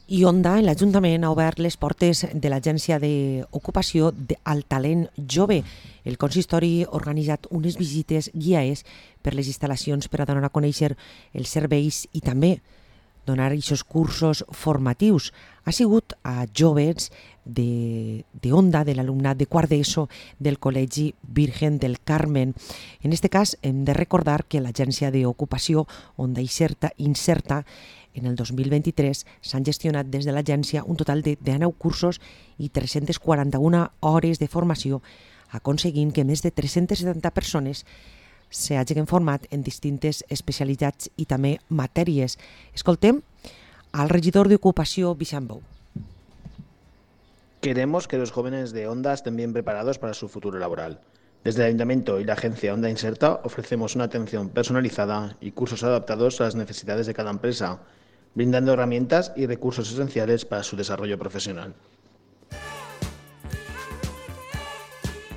I Onda, l'Ajuntament ha obert les portes de l'Agència d'Ocupació al Talent Jove. El consistori ha organitzat unes visites guiades per les instal·lacions per a donar a conèixer els serveis i també donar aquests cursos formatius. Ha sigut a joves d'Onda, de l'alumnat de quart d'ESO del Col·legi Virgen del Carmen. En aquest cas hem de recordar que l'Agència d'Ocupació Onda Inserta en el 2023 s'han gestionat des de l'agència un total de 19 cursos i 341 hores de formació, aconseguint que més de 370 persones s'hagin format en distintes especialitats y també matèries. Escoltem al regidor de Ocupació, Vicent Bou. Queremos que los jóvenes de Onda estén bien preparados para su futuro laboral. Desde el Ayuntamiento y la agencia Onda Inserta ofrecemos una atención personalizada y cursos adaptados a las necesidades de cada empresa, brindando herramientas y recursos esenciales para su desarrollo profesional.